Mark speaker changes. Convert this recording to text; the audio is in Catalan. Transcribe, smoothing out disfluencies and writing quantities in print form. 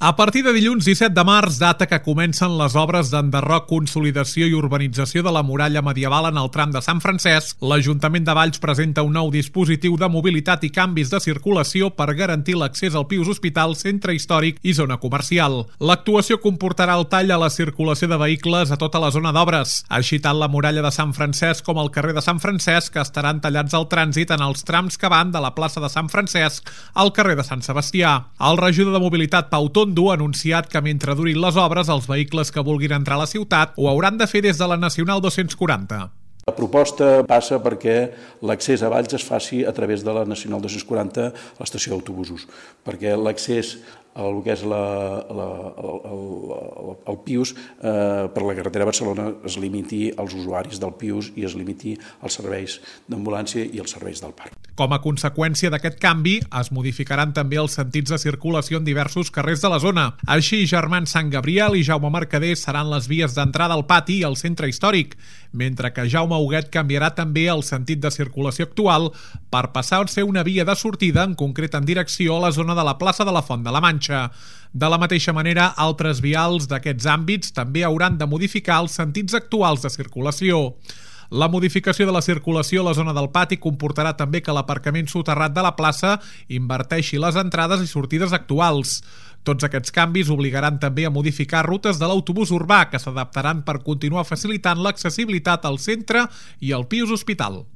Speaker 1: A partir de dilluns 17 de març, data que comencen les obres d'enderroc, consolidació i urbanització de la muralla medieval en el tram de Sant Francesc, l'Ajuntament de Valls presenta un nou dispositiu de mobilitat i canvis de circulació per garantir l'accés al Pius Hospital, centre històric i zona comercial. L'actuació comportarà el tall a la circulació de vehicles a tota la zona d'obres. Així tant la muralla de Sant Francesc com el carrer de Sant Francesc estaran tallats al trànsit en els trams que van de la plaça de Sant Francesc al carrer de Sant Sebastià. El regidor de Mobilitat, Pau Tondo, ha anunciat que mentre durin les obres, els vehicles que vulguin entrar a la ciutat ho hauran de fer des de la Nacional 240.
Speaker 2: La proposta passa perquè l'accés a Valls es faci a través de la Nacional 240 a l'estació d'autobusos, perquè l'accés al que és el Pius per la carretera de Barcelona es limiti als usuaris del Pius i es limiti als serveis d'ambulància i als serveis del parc.
Speaker 1: Com a conseqüència d'aquest canvi, es modificaran també els sentits de circulació en diversos carrers de la zona. Així, Germans Sant Gabriel i Jaume Mercader seran les vies d'entrada al pati i al centre històric, mentre que Jaume Huguet canviarà també el sentit de circulació actual per passar a ser una via de sortida, en concret en direcció a la zona de la plaça de la Font de la Manxa. De la mateixa manera, altres vials d'aquests àmbits també hauran de modificar els sentits actuals de circulació. La modificació de la circulació a la zona del pati comportarà també que l'aparcament soterrat de la plaça inverteixi les entrades i sortides actuals. Tots aquests canvis obligaran també a modificar rutes de l'autobús urbà, que s'adaptaran per continuar facilitant l'accessibilitat al centre i al Pius Hospital.